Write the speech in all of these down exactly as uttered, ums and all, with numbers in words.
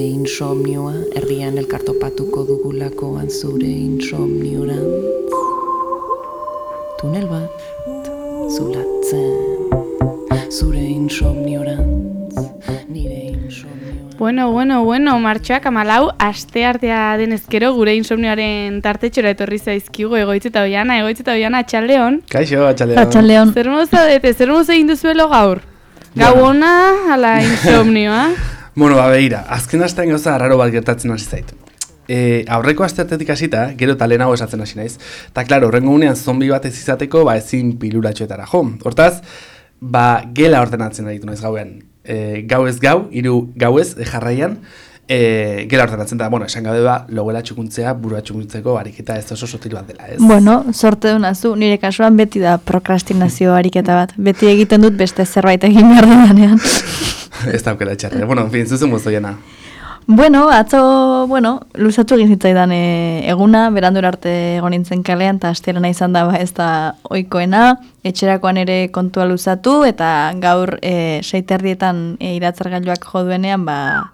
Insomnioa, herrian elkartopatuko dugulakoan zure insomniorantz. Tunel bat, zulatzen, zure insomniorantz, nire insomnioa. Bueno, bueno, bueno, martxoak amalau, aste artea denezkero gure insomnioaren tartetxora etorri zaizkigu Egoitzeta Oiana, Egoitzeta Oiana, atxaldeon. Kaixo, atxaldeon. Atxaldeon. Zer moza dete, zer moza egin duzuelo gaur? Gau ona, ala insomnioa? Bueno, ba, behira, azken astean gauza arraro bat gertatzen hasi zait. E, aurreko asteartetik hasita, gero eta lehenago esatzen hasi naiz. Eta, klaro, horrengo unean zombi bat ez izateko, ba, ezin pilulatxoetara jo. Hortaz, ba, gela ordenatzen aritu naiz gauean. E, gau ez gau, hiru gau ez, e, jarraian, e, gela ordenatzen da, bueno, esan gabe ba, logela txukuntzea, burua txukuntzeko ariketa ez oso sotil bat dela, ez? Bueno, sorte dunazu, nire kasuan beti da prokrastinazio ariketa bat. Beti egiten dut beste zerbait egin behar dudanean. Ez daukera txarra. Bueno, en fin, zuzen mozo jena. Bueno, atzo, bueno, luzatu egin zitzaidan e, eguna, berandur arte egon nintzen kalean, eta asterena izan da ba, ez da ohikoena, etxerakoan ere kontua luzatu, eta gaur e, seiterdietan e, iratzargailuak jo duenean, ba,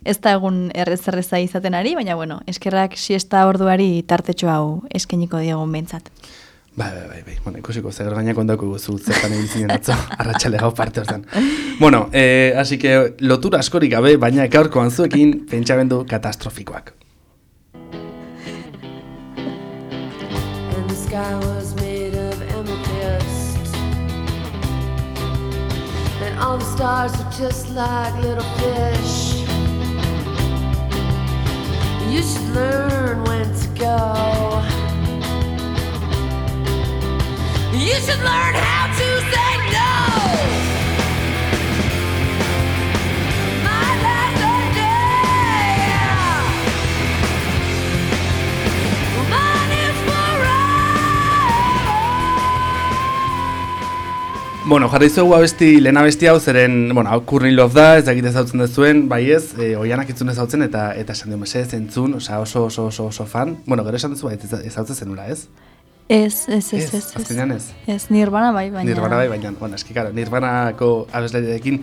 ez da egun errez-erreza izaten ari, baina, bueno, eskerrak siesta orduari tartetxo hau eskeniko diegun behintzat. Bai, bai, bai, bai. Bueno, ikusiko, zer gainak ondako guzu, zertan egin zinen atzo, arratxale gau parte hortan. Bueno, eh, así que lotura askorik gabe, baina gaurkoan zuekin pentsamendu katastrofikoak. And the sky was made of amethyst, and all the stars are just like little fish. You should learn when to go. You should learn how to say no. My last day, mine is forever. Bueno, jarri zuegu abesti, lehen abesti hau zeren, bueno, hau Courtney Love da, ez dakit ezautzen dezuen, bai ez, e, Oianak itzun ezautzen eta eta esan dio mesez entzun, osea oso oso oso oso fan. Bueno, gero esan duzu bai ezautzen zenula, ez? Ez, ez, ez, ez. Azkenean ez. Ez, Nirvana bai, baina... Nirvana bai, baina, bueno, eski, karo, Nirvanako abeslariarekin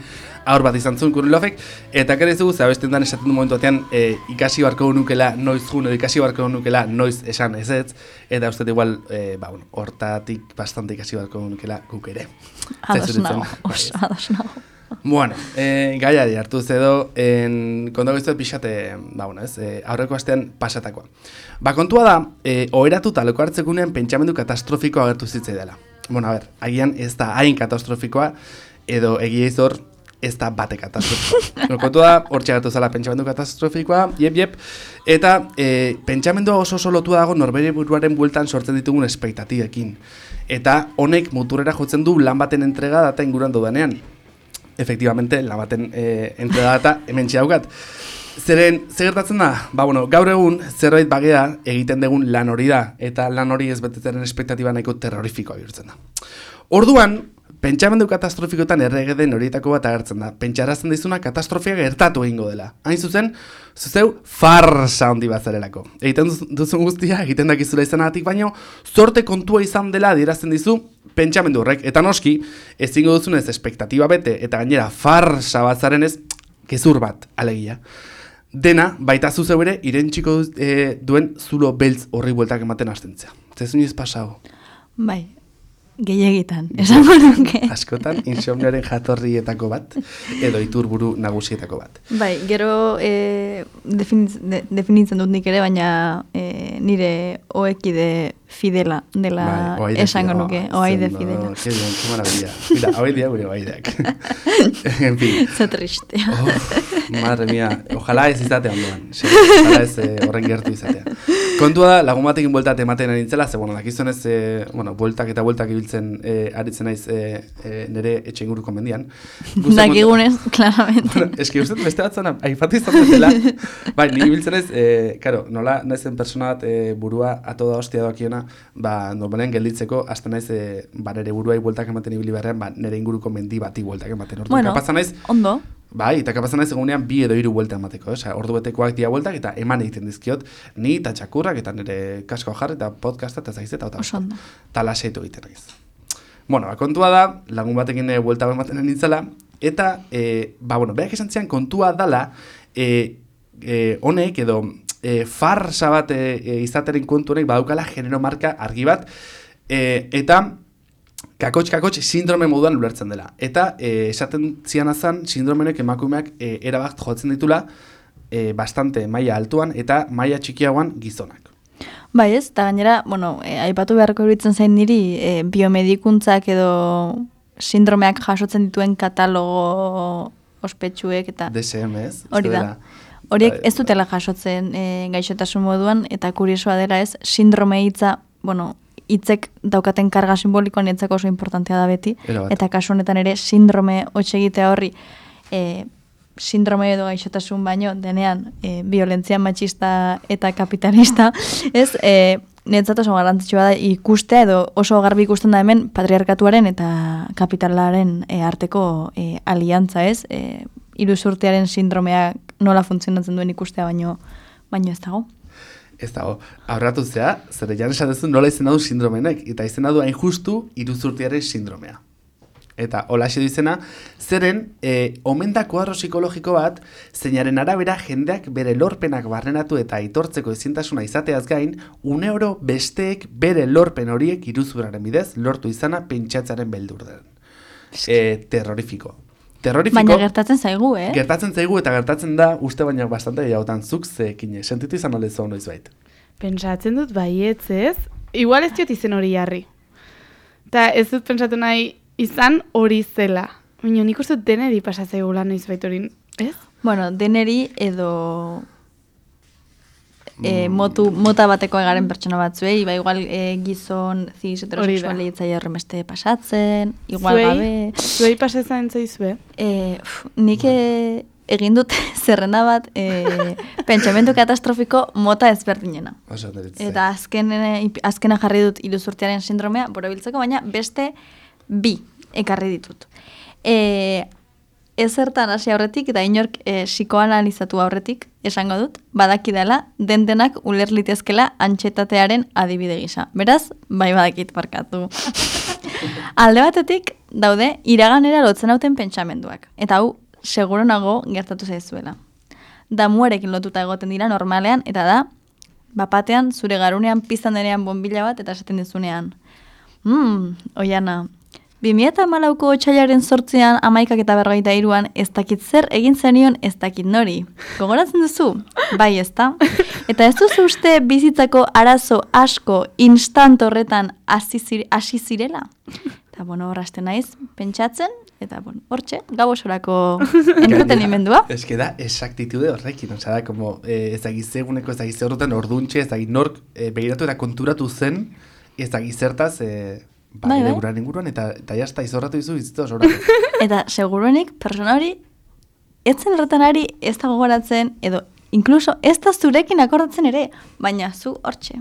aur bat izan zuen Courtney Lovek, eta kere zugu, ze abesten dan esaten du momentu batean, e, ikasi barko nukela noiz jun, edo ikasi barko nukela noiz esan ez ez, eta uste igual, e, ba, bueno, hortatik bastante ikasi barko nukela guk ere. Ados nago, oso, ados nago. Bueno, e, gaiari hartu zedo, kondago iztuet pixate, ba, bueno, ez, e, aurreko astean pasatakoa. Ba, kontua da, e, oheratuta leko hartzekunean pentsamendu katastrofikoa agertu zitzei dela. Bueno, a ber, agian ez da hain katastrofikoa, edo egia izor ez da bate katastrofikoa. No, kontua da, hor txagertu zela pentsamendu katastrofikoa, jep, jep, eta e, pentsamendua oso oso lotua dago norbere buruaren bueltan sortzen ditugun espektatiekin. Eta honek muturrera jotzen du lan baten entrega data inguruan dudanean. Efectivamente, la baten eh, entrega data hemen txaukat. Zeren, zer gertatzen da? Ba, bueno, gaur egun zerbait bagea egiten dugun lan hori da, eta lan hori ez betetzen espektatiba nahiko terrorifikoa bihurtzen da. Orduan, pentsamendu katastrofikoetan errege den horietako bat agertzen da. Pentsarazten dizuna katastrofia gertatu egingo dela. Hain zuzen, zuzeu farsa handi bat zarelako. Egiten duzun guztia, egiten dakizula izanatik, baino, zorte kontua izan dela adierazten dizu pentsamendu horrek. Eta noski, ezingo duzunez espektatiba bete, eta gainera farsa bat zaren ez, gezur bat, alegia. Dena, baita zuzeu ere, irentxiko e, duen zulo beltz horri bueltak ematen hastentzea. Zezun iz pasago? Bai. Gehiagitan, esango nuke. Askotan, insomnioaren jatorrietako bat, edo iturburu nagusietako bat. Bai, gero e, definiz, de, definitzen dut nik ere, baina e, nire oekide fidela dela bai, esango nuke, oaide fidela. Que bien, que maravilla. Mira, oaidea gure oaideak. En fin. Ze tristea. Oh, madre mía, ojalá ez izatea ondoan. Ojalá ez eh, horren gertu izatea. Kontua da, lagun batekin bueltat ematen arintzela, ze, bueno, dakizunez, eh, bueno, bueltak eta bueltak ibiltzen eh, aritzen naiz eh, eh, nire etxe inguruko mendian. Dakigunez, claramente. Bueno, eski uste beste bat zona, aipatu izaten dela. Bai, ni ibiltzen naiz, eh, karo, nola naizen persona bat eh, burua ato da hostia doakiona, ba, normalean gelditzeko, hasta naiz, eh, ba, nire buruai bueltak ematen ibili beharrean, ba, nire inguruko mendi bati bueltak ematen. Ordu, bueno, kapazan naiz, ondo. Bai, eta kapazan naiz egunean bi edo hiru buelta emateko, osea, ordu betekoak dia bueltak eta eman egiten dizkiot, ni eta txakurrak eta nire kasko jarri eta podcasta eta zaiz eta eta ondo. Ta lasaitu egiten naiz. Bueno, ba, kontua da, lagun batekin e, buelta ematen nintzela, eta, e, ba, bueno, berak esan zian kontua dala, e, e, honek edo e, farsa bat e, e, izateren kontu honek badaukala genero marka argi bat, e, eta kakotx-kakotx sindrome moduan ulertzen dela. Eta e, esaten zianazan sindromenek emakumeak e, erabat jotzen ditula e, bastante maila altuan eta maila txikiagoan gizonak. Bai ez, eta gainera, bueno, e, aipatu beharko iruditzen zain niri, e, biomedikuntzak edo sindromeak jasotzen dituen katalogo ospetsuek eta... D S M ez? Hori da. Horiek ez dutela jasotzen e, gaixotasun moduan, eta kuriosoa dela ez, sindrome hitza, bueno, hitzek daukaten karga simbolikoan etzako oso importantea da beti, eta kasu honetan ere sindrome hotxe egitea horri, e, sindrome edo gaixotasun baino denean e, violentzia matxista eta kapitalista, ez, e, netzat oso garrantzitsua da ikustea edo oso garbi ikusten da hemen patriarkatuaren eta kapitalaren e, arteko e, aliantza, ez, e, iruzurtearen sindromeak nola funtzionatzen duen ikustea baino, baino ez dago. Ez dago, aurratu zea, zer jan esatezu nola izena du sindromenek, eta izena du hain justu iruzurtearen sindromea. Eta holaxe du izena, zeren, e, omen da kuadro psikologiko bat, zeinaren arabera jendeak bere lorpenak barrenatu eta aitortzeko ezintasuna izateaz gain, une oro besteek bere lorpen horiek iruzurraren bidez lortu izana pentsatzaren beldur den. E, terrorifiko. Terrorifiko, baina gertatzen zaigu, eh? Gertatzen zaigu eta gertatzen da uste baina bastante gehiagotan zuk zekin sentitu izan olezo noiz bait. Pentsatzen dut baietz ez, igual ez diot izen hori jarri. Eta ez dut pentsatu nahi izan hori zela. Baina nik uste dut deneri pasatzaigula noiz bait hori, ez? Bueno, deneri edo e, motu, mota bateko egaren pertsona batzuei, ba igual e, gizon ziz heterosexualei etzaia horremeste pasatzen, igual zuei, gabe. Zuei pasatzen zaizue? E, uf, nik e, egin dut zerrenda bat e, pentsamendu katastrofiko mota ezberdinena. Eta azken, azkena jarri dut iruzurtearen sindromea, borobiltzeko, baina beste bi ekarri ditut. E, ezertan hasi aurretik eta inork e, psikoanalizatu aurretik esango dut, badaki dela den-denak uler litezkela antxetatearen adibide gisa. Beraz, bai badakit barkatu. Alde batetik daude iraganera lotzen hauten pentsamenduak. Eta hau, seguro nago gertatu zaizuela. Damuarekin lotuta egoten dira normalean, eta da, bapatean zure garunean piztan denean bombila bat eta esaten dizunean. Hmm, oiana, bi mila hamalauko otsailaren zortzian amaikak eta berrogeita hiruan ez dakit zer egin zenion ez dakit nori. Gogoratzen duzu? Bai, ezta? Eta ez duzu uste bizitzako arazo asko instant horretan hasi zire, zirela? Eta, bueno, horrazten naiz, pentsatzen, eta, bueno, hortxe, gau osorako entretenimendua. Ez que da, exactitude horrekin, oza da, como, eh, ez da gizeguneko, ez da gize horretan orduntxe, ez da nork eh, begiratu eta konturatu zen, ez da gizertaz, eh, ba, bai, bai. Guran inguruan, eta, eta jazta izorratu izu bizitza osoratu. Eta, seguruenik, persona hori, etzen horretan ari ez da gogoratzen, edo, inkluso, ez da zurekin akordatzen ere, baina zu hortxe.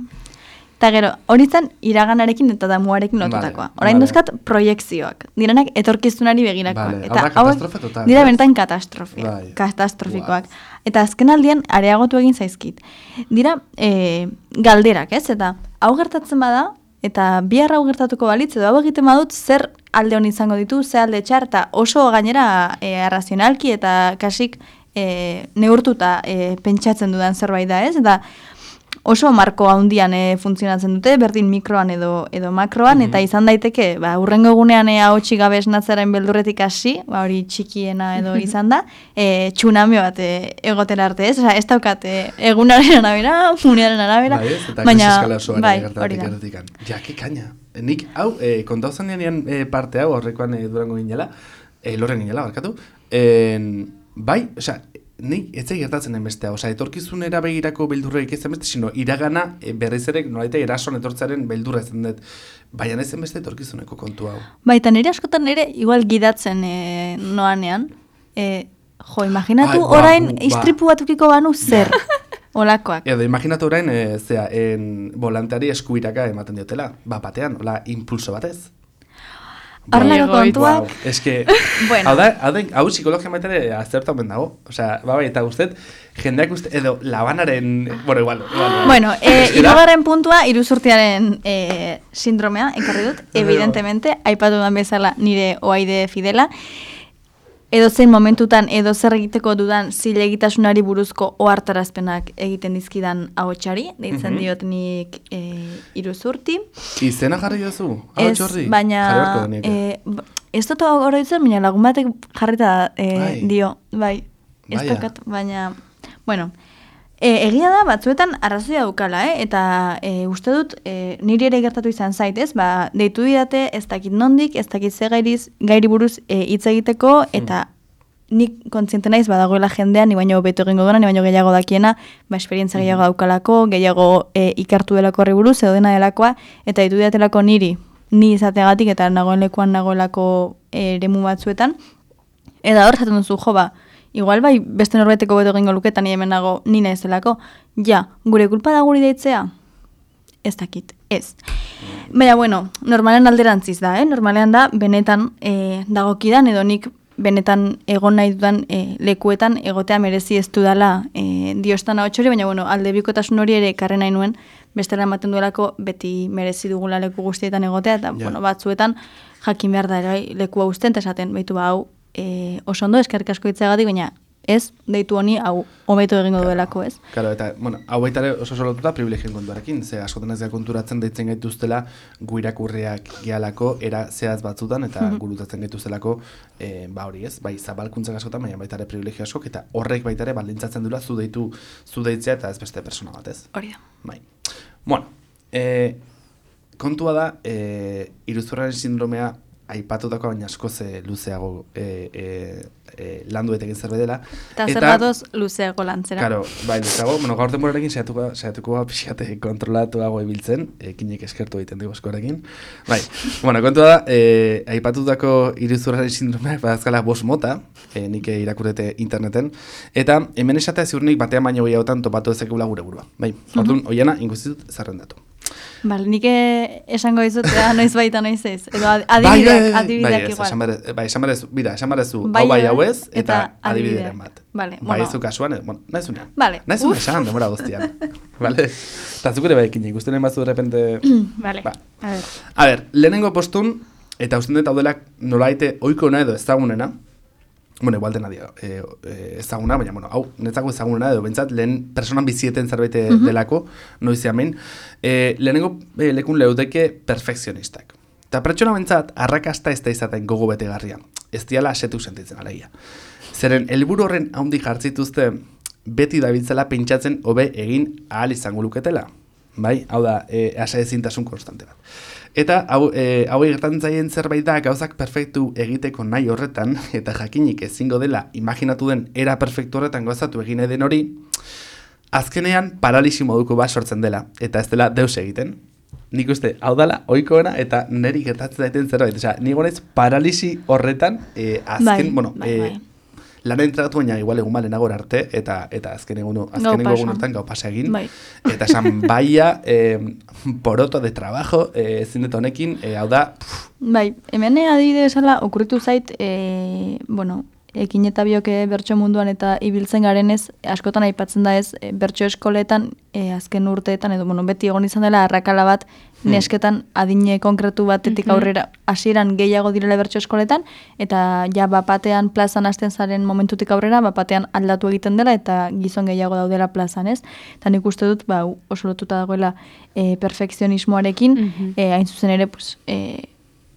Eta gero, hori zen iraganarekin eta damuarekin lotutakoa. Vale, orain vale. Duzkat proiekzioak. Direnak etorkizunari begirakoak. Vale, eta katastrofe total. Dira benetan katastrofe, bai. katastrofikoak. Wow. Eta azken aldian areagotu egin zaizkit. Dira e, galderak, ez? Eta hau gertatzen bada, eta bihar hau gertatuko balitz, edo hau egiten badut zer alde hon izango ditu, ze alde txar, eta oso gainera e, arrazionalki eta kasik e, neurtuta e, pentsatzen dudan zerbait da, ez? Eta oso marko handian e, funtzionatzen dute, berdin mikroan edo edo makroan, mm-hmm. Eta izan daiteke, ba, urrengo egunean e, ahotsi gabe esnatzaren beldurretik hasi, ba, hori txikiena edo izan da, e, tsunami bat e, egotera arte, ez? Osa, ez daukat e, egunaren arabera, unearen arabera, bai, ez, eta baina, bai, hori da. Ja, ke kaina. Nik, hau, e, kontau zanean e, parte hau, horrekoan e, durango ginela, e, lorren ginela, barkatu, e, bai, osa, nik ez gertatzen enbestea, oza, etorkizunera begirako beldurreik ez enbeste, sino iragana e, berriz ere, nolaita erason etortzaren beldurra ez dut, baina ez enbeste etorkizuneko kontu hau. Baita nire askotan nire igual gidatzen e, noanean, e, jo, imaginatu Ai, ba, orain ba. Istripu batukiko banu zer, olakoak. Edo, imaginatu orain, e, zera, en volanteari eskuiraka ematen diotela, ba, batean, hola, impulso batez. Arnako kontuak. Wow. Ez que, bueno. hau da, hau da, hau psikologia maitere azertu hamen dago. Osea, ba, bai, eta guztet, jendeak uste, edo, labanaren, bueno, igual. igual bueno, e, irugarren puntua, iruzurtearen e, sindromea, ekarri dut, evidentemente, aipatu dan bezala nire oaide fidela. edo zein momentutan edo zer egiteko dudan zilegitasunari buruzko ohartarazpenak egiten dizkidan ahotsari, deitzen Mhm. diot nik e, Iruzurti. Izena jarri duzu? Ez, Ahots horri? baina Jarri beharko genuke. e, b- ez dut oroitzen, baina lagun batek jarrita e, Bai. dio, bai, ez Baia. daukat, baina, bueno, e, egia da batzuetan arrazoia daukala, eh? Eta e, uste dut, e, niri ere gertatu izan zait, ez? Ba, deitu didate, ez dakit nondik, ez dakit ze gairiz, gairi buruz e, hitz egiteko, eta nik kontziente naiz badagoela jendean, ni baino beto egingo duena, ni baino gehiago dakiena, ba, esperientzia gehiago daukalako, gehiago e, ikartu delako horri buruz, edo dena delakoa, eta ditu didatelako niri, ni izateagatik, eta nagoen lekuan nagoelako e, eremu batzuetan, eta hor jaten duzu, jo, ba, igual bai beste norbaiteko beto egingo luketan, ni hemen nago, ni naizelako, ja, gure kulpa da guri deitzea? Ez dakit, ez. Baina, bueno, normalean alderantziz da, eh? Normalean da, benetan e, dagokidan, edo nik benetan egon nahi dudan e, lekuetan egotea merezi ez dudala e, diostan ahotxori, baina bueno, alde bikotasun hori ere karren nahi nuen, bestela ematen duelako beti merezi dugula leku guztietan egotea, eta Ja. bueno, batzuetan jakin behar da ere lekua uzten, eta esaten, behitu ba, hau e, oso ondo eskerrik asko hitzeagatik, baina ez, deitu honi hau hobeto egingo duelako, ez? Claro, eta, bueno, hau baita ere oso solotuta privilegioen kontuarekin, ze askotan ez da konturatzen deitzen gaituztela gu irakurriak gehalako era zehaz batzutan, eta Mhm. gurutatzen gaituztelako, e, ba hori ez, bai zabalkuntzak askotan, baina baita ere privilegio askok, eta horrek baita ere baldintzatzen duela zu deitu, zu deitzea eta ez beste persona bat, ez? Hori da. Bai. Bueno, e, kontua da, e, iruzurraren sindromea aipatutako baina askoz e, luzeago e, e, e, landu eta egin zerbait dela. Eta zer batoz luzeago lantzera. Claro, bai, luzeago, bueno, gaur denborarekin saiatuko saiatuko pixate kontrolatuago ibiltzen, ekinek eskertu egiten dugu eskorekin. Bai, bueno, kontua da, e, aipatutako iruzurraren sindromeak badazkala bost mota, e, nik irakurrete interneten, eta hemen esatea ziurnik batean baino gehiagotan topatu ezekula gure burua. Bai, orduan, oiana, inkustitut zerrendatu. Bale, nik eh, esango dizut, ea, noiz baita noiz ez. Edo ad- Bai, adibideak, bai, bai, adibideak bai, ez, igual. esan behar- bai, esan berezu, bira, esan berezu, Bai, hau bai bai, hau ez, eta eta adibideren adibideak. bat. Vale, Bai, bueno. ez du kasuan, eh, bueno, nahi zunean. Vale, Nahi zunean uf. esan, demora guztian. Vale? Eta zuk ere bai ekin, ikusten emaz de repente... Vale, Ba. a ver. A ber, lehenengo postun, eta usten dut hau dela nolaite oikoena edo ezagunena, bueno, igual dena dio, e, e, ezaguna, baina, bueno, hau, netzako ezagunena edo, bentsat, lehen personan bizieten zerbait Mhm. delako, noiz hemen, e, lehenengo e, lekun leudeke perfekzionistak. Eta pertsona bentsat, arrakasta ez da izaten gogo betegarria. Ez diala asetu sentitzen alegia. Zeren, helburu horren haundi jartzituzte, beti dabiltzela pentsatzen hobe egin ahal izango luketela. Bai, hau da, e, asa ezintasun konstante bat. Eta hau e, hau gertatzen zaien zerbait da gauzak perfektu egiteko nahi horretan, eta jakinik ezingo dela imaginatu den era perfektu horretan gauzatu egin nahi den hori, azkenean paralisi moduko bat sortzen dela, eta ez dela deus egiten. Nik uste, hau dala, oikoena, eta niri gertatzen daiten zerbait. Osea, ni gonez paralisi horretan, e, azken, Bai, bueno, bai, e, bai. lan entregatu baina igual egun balenago arte, eta eta azken egun, azken pasa. egun hortan gau pasa egin. Bai. Eta esan, baia, eh, poroto de trabajo, eh, ezin dut honekin, eh, hau da, pff, Bai, hemen adibide esala, okurritu zait, e, bueno, ekin eta bioke bertso munduan eta ibiltzen garenez, askotan aipatzen da ez, e, bertso eskoletan, e, azken urteetan, edo, bueno, beti egon izan dela, arrakala bat, nesketan adine konkretu batetik Mhm. aurrera, hasieran gehiago direla bertso eskoletan, eta ja bapatean plazan hasten zaren momentutik aurrera, bapatean aldatu egiten dela, eta gizon gehiago daudela plazan, ez? Eta nik uste dut, ba, oso lotuta dagoela e, perfekzionismoarekin, Mhm. e, hain zuzen ere, pues, e,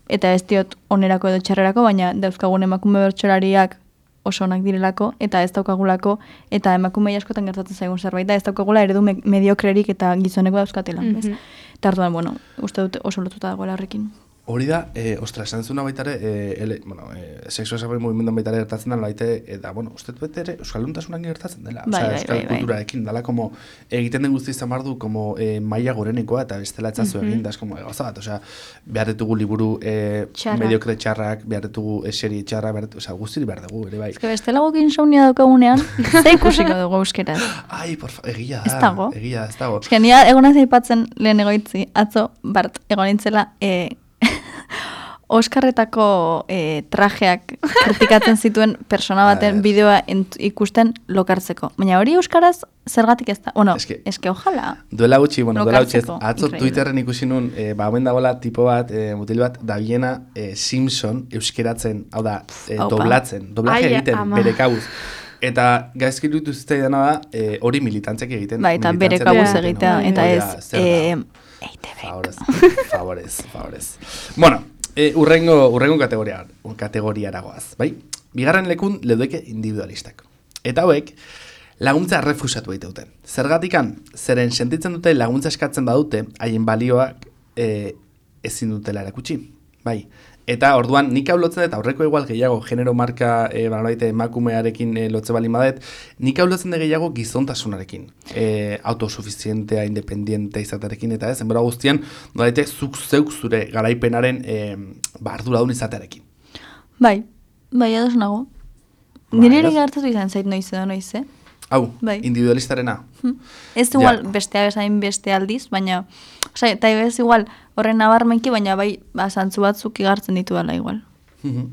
eta ez diot onerako edo txarrerako, baina dauzkagun emakume bertsolariak oso onak direlako, eta ez daukagulako, eta emakume askotan gertatzen zaigun zerbait, da ez daukagula eredu me mediokrerik eta gizoneko dauzkatela. ez? Mhm. Eta orduan, bueno, uste dut oso lotuta dagoela horrekin. hori da, eh, ostra, esan zuna baitare, eh, ele, bueno, eh, sexu esaboi mugimenduan baitare gertatzen da, baite, eta, bueno, uste dut bete ere, euskalduntasuna gertatzen dela. Bai, Osea, bai, euskal bai, bai. kulturarekin, dala, como, egiten den guzti izan behar du, como, eh, maila gorenekoa, eta bestela etzazu Mhm. egin, da, es como, gauza bat, osea, behar ditugu liburu eh, Txarrak. mediokre txarrak, behar ditugu eseri txarrak, behar, osea, guztiri behar dugu, ere bai. Ez que bestela guk insomnia daukagunean, ze ikusiko dugu euskeraz. Ai, por fa, egia da, Ez dago. egia da, ez dago. Ez que nia egon naiz aipatzen lehen egoitzi, atzo, bart, egon nintzela, e, Oskarretako eh, trajeak kritikatzen zituen persona baten bideoa ent, ikusten lokartzeko. Baina hori euskaraz zergatik ez da? Bueno, Eske, eske ojala. Duela gutxi, bueno, duela gutxi ez, Lokartzeko, atzo increíble. Twitterren ikusi nun, e, ba, homen dagoela tipo bat, e, mutil bat, dabiena e, Simpson euskeratzen, hau da, e, Aupa. doblatzen, doblaje Ai, egiten, ama. bere kabuz. Eta gaizki iruditu zitzaidana da, e, hori militantzek egiten. Bai, eta bere militantzek kabuz egiten, egitea, hori eta da, ez, zer da? eh, E I T B. Favorez, favorez, favorez. Bueno, e, urrengo, urrengo kategoria, kategoriaragoaz, bai? Bigarren lekun leudeke individualistak. Eta hauek, laguntza errefusatu dauten. Zergatikan, zeren sentitzen dute laguntza eskatzen badute, haien balioak e, ezin dutela erakutsi. Bai. Eta orduan nik hau lotzen dut, aurreko igual gehiago genero marka e, balaite emakumearekin e, lotze bali badet, nik hau lotzen dut gehiago gizontasunarekin. E, autosuficientea, independiente izatearekin, eta ez, enbera guztian, balaite zuk zeuk zure garaipenaren e, ba, arduradun izatearekin. Bai, bai, ados nago. Bai, Nire ere ez? gertatu izan zait noiz edo noiz, eh? Hau, Bai. individualistarena. Ez Ja. igual bestea bezain beste aldiz, baina, osea, eta ez igual horren nabarmenki, baina bai, ba, zantzu batzuk igartzen ditu dela igual. Mhm.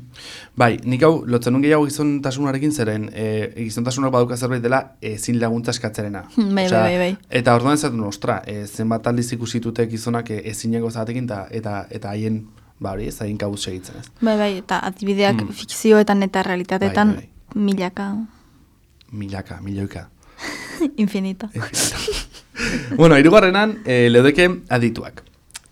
Bai, nik hau lotzen nun gehiago gizontasunarekin zeren, e, gizontasunak baduka zerbait dela ezin laguntza eskatzerena. Bai, Osea, bai, bai, bai. Eta orduan ez dut, ostra, e, zenbat aldiz ikusitute gizonak e, ezineko zatekin eta eta eta haien, ba hori, ez haien kabuz segitzen, ez? Bai, bai, eta adibideak Mm. fikzioetan eta realitateetan Bai, milaka, Milaka, milioika. infinito. Bueno, hirugarrenan e, leudeke adituak.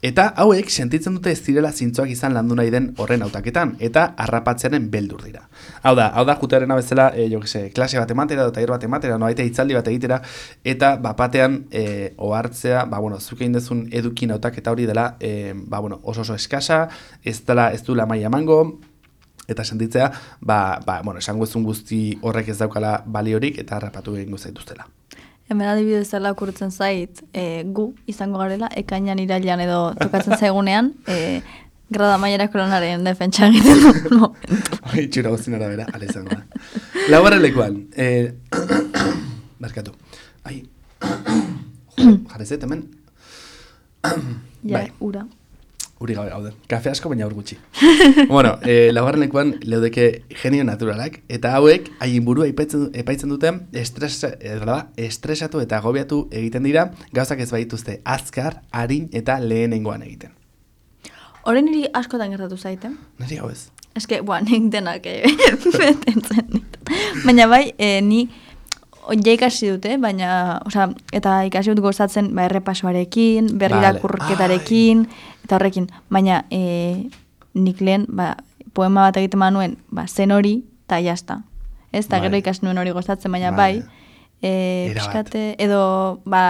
Eta hauek sentitzen dute ez direla zintzoak izan landu nahi den horren hautaketan, eta harrapatzearen beldur dira. Hau da, hau da jutearena bezala, e, jo que se, klase bat ematera, edo taller bat ematera, no baita hitzaldi bat egitera, eta bapatean e, ohartzea, ba, bueno, zuk egin dezun edukin hautaketa hori dela, e, ba, bueno, oso oso eskasa, ez dela, ez du maila emango, eta sentitzea, ba, ba, bueno, esango ezun guzti horrek ez daukala baliorik, eta harrapatu egingo zaituztela. Hemen adibidez zela okurtzen zait, e, gu izango garela, ekainan irailan edo tokatzen zaigunean, e, grada mailerako lanaren defentsa egiten du momentu. Hoi, txura guztin arabera, ala izango da. Laugarren lekuan, eh, barkatu. Ai, jo, jarrezet, hemen. Ja, Bai. ura. Uri gabe gaude. Kafe asko, baina ur gutxi. Bueno, eh, laugarren lekuan leudeke genio naturalak, eta hauek haien burua epaitzen, epaitzen duten estres, eh, da, estresatu eta agobiatu egiten dira, gauzak ez baituzte azkar, arin eta lehenengoan egiten. Horren niri askotan gertatu zaite. Neri hau ez? Eske, boa, nik denak eh, betentzen dit. Baina bai, eh, ni ja ikasi dute, baina, osea, eta ikasi dut gozatzen ba, errepasoarekin, berri Vale. irakurketarekin, eta horrekin. Baina eh, nik lehen, ba, poema bat egiten manuen, ba, zen hori, eta jazta. Ez, eta Vale. gero ikasi nuen hori gozatzen, baina Vale. bai, eh, Erabat. pixkate, edo, ba,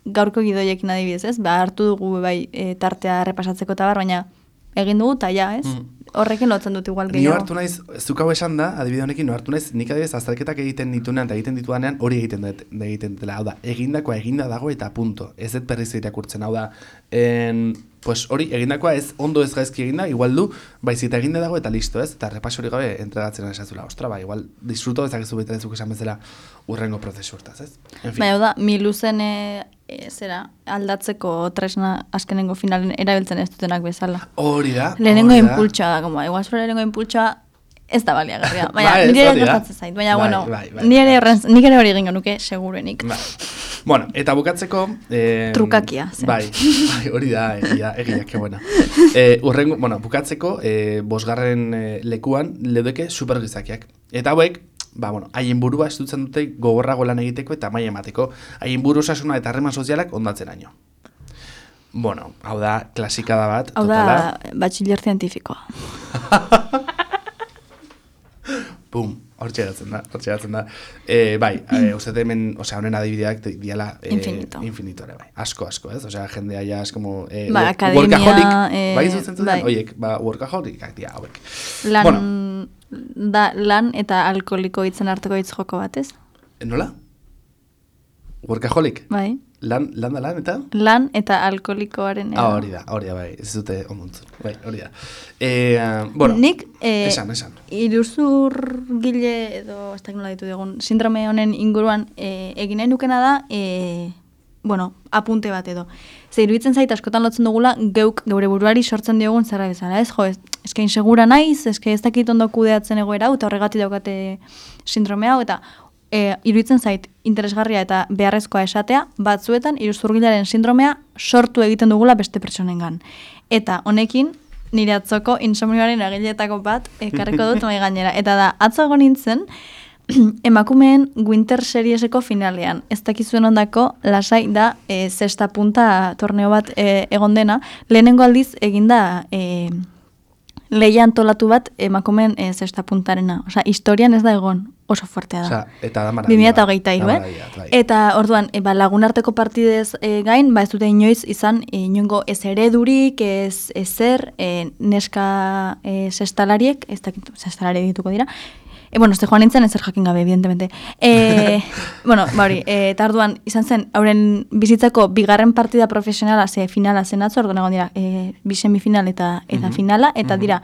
gaurko gidoiekin adibidez, ez? Ba, hartu dugu bai e, tartea errepasatzeko eta bar, baina egin dugu eta ja, ez? Mm. Horrekin lotzen dut igual Ni gehiago. hartu naiz, zuk hau esan da, adibide honekin, no hartu naiz, nik adibidez azterketak egiten ditunean eta egiten ditudanean hori egiten dut, egiten dela, hau da, egindakoa eginda dago eta punto. Ez dut berriz irakurtzen, hau da, en, pues hori egindakoa ez ondo ez gaizki eginda, igual du, baizik eta eginda dago eta listo, ez? Eta repaso hori gabe entregatzen esazula, ostra, ba, igual disfruto ezakezu baita ezuk esan bezala urrengo prozesu hortaz, ez? En fin. Baina da, miluzen e, e, zera, aldatzeko tresna azkenengo finalen erabiltzen ez dutenak bezala. Hori da, Lehenengo hori da. impultsoa da, como, igual zure lehenengo impultsoa ez da baliagarria. Baina, Ba, ez, nire ere hori da. gertatzen zait. Baina, Bai, bueno, bai, bai, nire bai. horren, nik ere hori egingo nuke, segurenik. Bai. Bueno, eta bukatzeko... Eh, Trukakia, zen. Bai, bai, hori da, egia, egia, que buena. Eh, urrengo, bueno, bukatzeko, eh, bosgarren eh, lekuan, leudeke supergizakiak. Eta hauek, ba, bueno, haien burua estutzen dute gogorrago lan egiteko eta maila emateko. Haien buru osasuna eta harreman sozialak ondatzen aino. Bueno, hau da, klasikada bat, Hau totala. da, batxiller zientifikoa. Pum, hortxe geratzen da, hortxe geratzen da. E, bai, e, uste hemen, osea, honen adibideak diala e, Infinito. infinitore, bai. Asko, asko, ez? Osea, jendea ja, es como... E, Ba, work- akademia, workaholic, eh, bai zuzen zuten, bai. oiek, ba, workaholikak dira, hauek. Lan, Bueno, da, lan eta alkoholiko hitzen arteko hitz joko bat, ez? nola? Workaholic? Bai. Lan, lan da lan, eta? Lan eta alkoholikoaren Ah, hori da, hori da, bai, ez dute onduntzu. Bai, hori da. E, bueno, Nik, eh, esan, esan. iruzur gile edo, ez dakit nola ditu digun, sindrome honen inguruan eh, egin nahi nukena da, eh, bueno, apunte bat edo. Ze iruditzen zait askotan lotzen dugula geuk geure buruari sortzen diogun zerra bezala, ez? Jo, ez, eske insegura naiz, eske ez dakit ondo kudeatzen egoera hau, eta horregatik daukate sindrome hau, eta e, iruditzen zait interesgarria eta beharrezkoa esatea, batzuetan iruzurgilaren sindromea sortu egiten dugula beste pertsonengan. Eta honekin, nire atzoko insomnioaren agiletako bat ekarriko dut mai gainera. Eta da, atzo egon nintzen, emakumeen Winter Serieseko finalean. Ez dakizuen ondako, lasai da, e, zesta punta torneo bat e, egon dena, lehenengo aldiz eginda e, lehia antolatu bat emakumeen e, zesta puntarena. Osea, historian ez da egon, oso fuertea da. Osea, eta da bi mila hogeita hiru, eh? Eta orduan, e, ba, lagunarteko partidez e, gain, ba ez dute inoiz izan e, inongo ez eredurik, ez ezer, e, neska e, zestalariek, ez dakit, zestalari dituko dira, E, bueno, este joan nintzen ezer jakin gabe, evidentemente. E, bueno, bauri, e, eta orduan izan zen, hauren bizitzako bigarren partida profesionala, ze finala zen atzo, orduan egon dira, e, bi semifinal eta, eta mm-hmm. finala, eta mm-hmm. dira,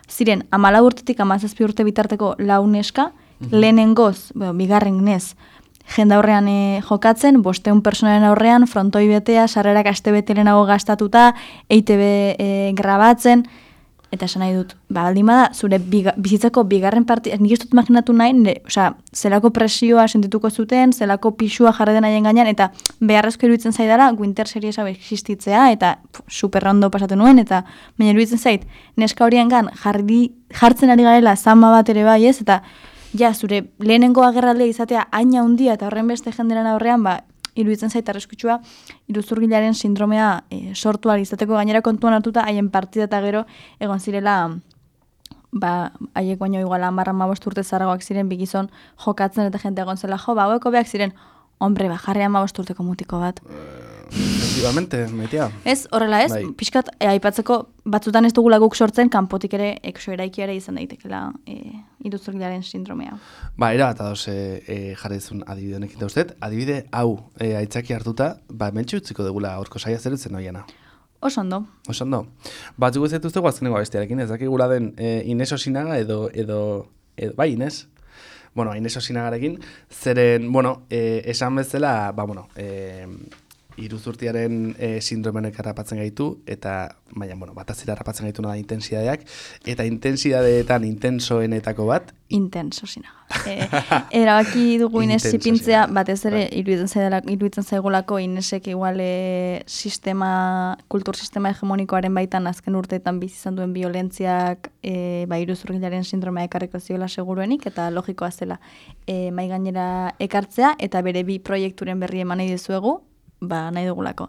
ziren, amala urtetik amazazpi urte bitarteko lau neska, mm-hmm. lehenengoz, bueno, bigarren nez, jende aurrean e, jokatzen, bosteun personaren aurrean, frontoi betea, sarrerak aste bete lehenago gastatuta, E I T B e, grabatzen, eta esan nahi dut, ba, baldin bada, zure biga, bizitzako bigarren parti, nik ez dut imaginatu nahi, nire, osea, zelako presioa sentituko zuten, zelako pixua jarri den haien gainean, eta beharrezko iruditzen zaidala, Winter Series hau existitzea, eta pff, super ondo pasatu nuen, eta baina iruditzen zait, neska horiengan jarri, jartzen ari garela zama bat ere bai ez, eta ja, zure lehenengo agerraldea izatea haina handia eta horren beste jenderen aurrean, ba, iruditzen zait arriskutsua iruzurgilaren sindromea e, sortu ahal izateko gainera kontuan hartuta haien partida eta gero egon zirela ba, haiek baino igual hamar hamabost urte zaragoak ziren bigizon jokatzen eta jente egon zela jo, ba, haueko beak ziren, hombre, ba, jarri hamabost urteko mutiko bat. Efectivamente, maitea. Ez, horrela ez, bai. Pixkat, e, aipatzeko batzutan ez dugula guk sortzen, kanpotik ere, ekso eraikiare izan daitekela e, iruzurgilaren sindromea. Ba, era bat adoz e, e, jarri duzun adibide honekin dauzet, adibide hau e, aitzaki hartuta, ba, mentxe utziko degula aurko saia zerutzen noiena. Oso ondo. Oso ondo. Batzuk ez dituztegu azkeneko abestiarekin, ez dakigula den e, Ines Osinaga edo, edo, edo, bai, Ines? Bueno, Ines Osinagarekin, zeren, bueno, e, esan bezala, ba, bueno, e, iruzurtiaren e, sindromenek harrapatzen gaitu, eta, baina, bueno, batazira harrapatzen gaitu da intensidadeak, eta intensidadeetan intensoenetako bat. Intenso Osinaga. E, erabaki dugu Ines zipintzea, batez ere, iruditzen zaigulako, iruditzen zaigulako Inesek igual e, sistema, kultur sistema hegemonikoaren baitan azken urteetan bizi izan duen violentziak e, ba, iruzurgilaren sindromea ekarriko ziola seguruenik, eta logikoa zela e, mai gainera ekartzea, eta bere bi proiekturen berri eman nahi dizuegu, ba, nahi dugulako.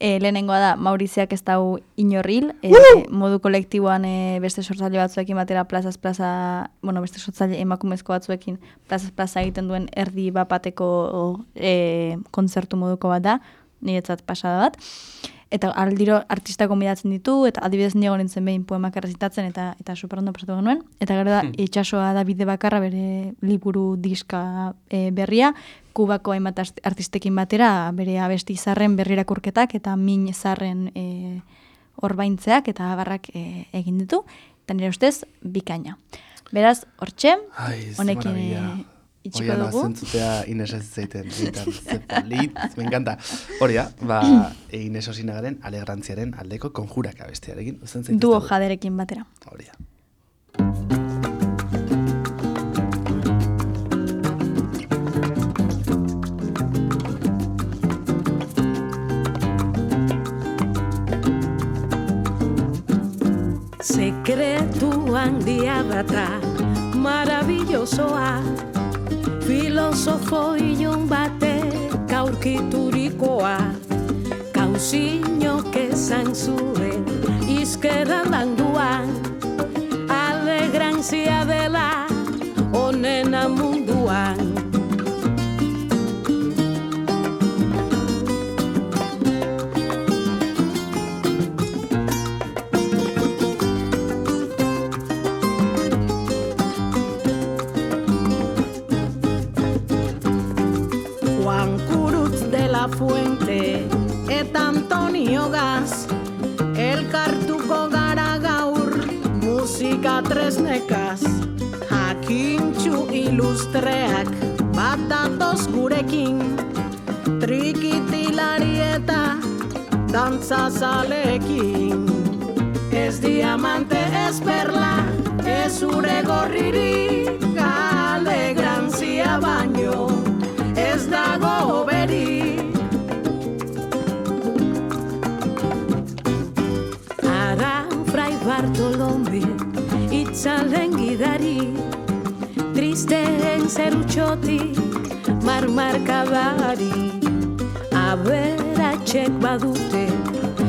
E, lehenengoa da, Mauriziak ez dau inorril, e, modu kolektiboan e, beste sortzaile batzuekin batera plazaz plaza, bueno, beste sortzaile emakumezko batzuekin plazaz plaza egiten duen erdi bapateko e, kontzertu moduko bat da, niretzat pasada bat. Eta aldiro artista konbidatzen ditu, eta adibidez niego nintzen behin poemak errezitatzen, eta eta superondo pasatu genuen. Eta gero da, hmm. itxasoa da bide bakarra bere liburu diska e, berria, Kubako hainbat artistekin batera, bere abesti zarren berrirakurketak, eta min zarren e, orbaintzeak, eta abarrak e, egin ditu. Eta nire ustez, bikaina. Beraz, hortxe, honekin itxiko dugu. Oian, azentzutea Ines ez zaiten. Zepolit, me encanta. Horia, ba, Ines Osinagaren alegrantziaren aldeko konjurak abestiarekin. Duo jaderekin batera. Horia. Sekretu handia bata, maravillosoa, filosofo ilun batek aurkiturikoa, kauzinok esan zuen, izkerra landuan, alegrantzia dela, onena munduan. Fuente eta Antonio Gaz elkartuko gara gaur musika tresnekaz jakintxu ilustreak bat datoz gurekin trikitilari eta dantzazalekin Ez diamante, ez perla, ez ure gorririk, alegrantzia baino, ez dago hoberik. Ara Fray Bartolome, itzalen gidari, tristeen zerutxotik, marmarkadari. Aberatxek badute,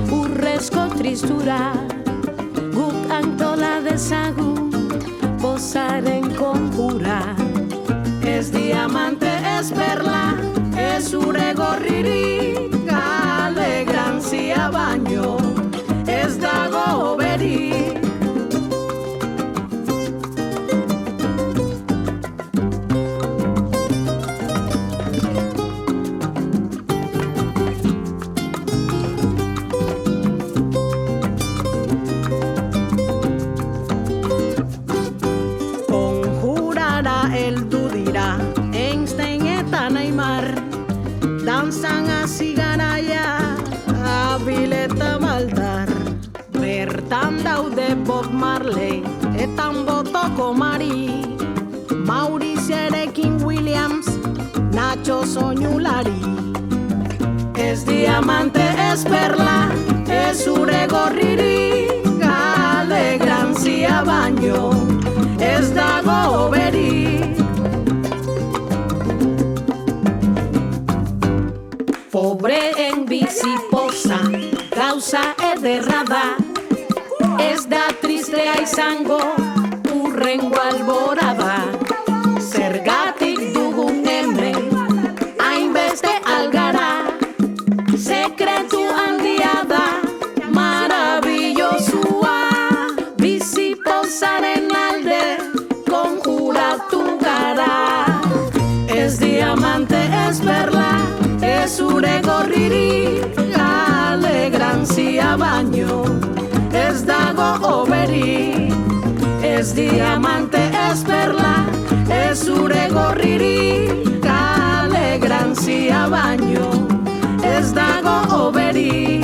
urrezko tristura, guk antola dezagun, pozaren konjura. Ez diamante, ez perla, ez ure gorririk, alegrantzia baino, ez dago hoberik. Danzan hasi garaia, abileta maldar. Bertan daude Bob Marley, etan botoko Mari, Mauricerekin Williams, Nacho soinulari. Ez diamante, ez perla, ez ure gorririk, alegrantzia baino, ez dago hoberik. Pobreen bizi poza, gauza ederra da, ez da tristea izango, urrengo alborada. Zergatik dugun hemen, hainbeste algara, sekretu handia da, maravillosua. Bizi pozaren alde, konjuratu gara. Ez diamante, ez perla, ez ure gorririk, alegrantzia baino, ez dago hoberik. Ez diamante, ez perla, ez ure gorririk, alegrantzia baino, ez dago hoberik.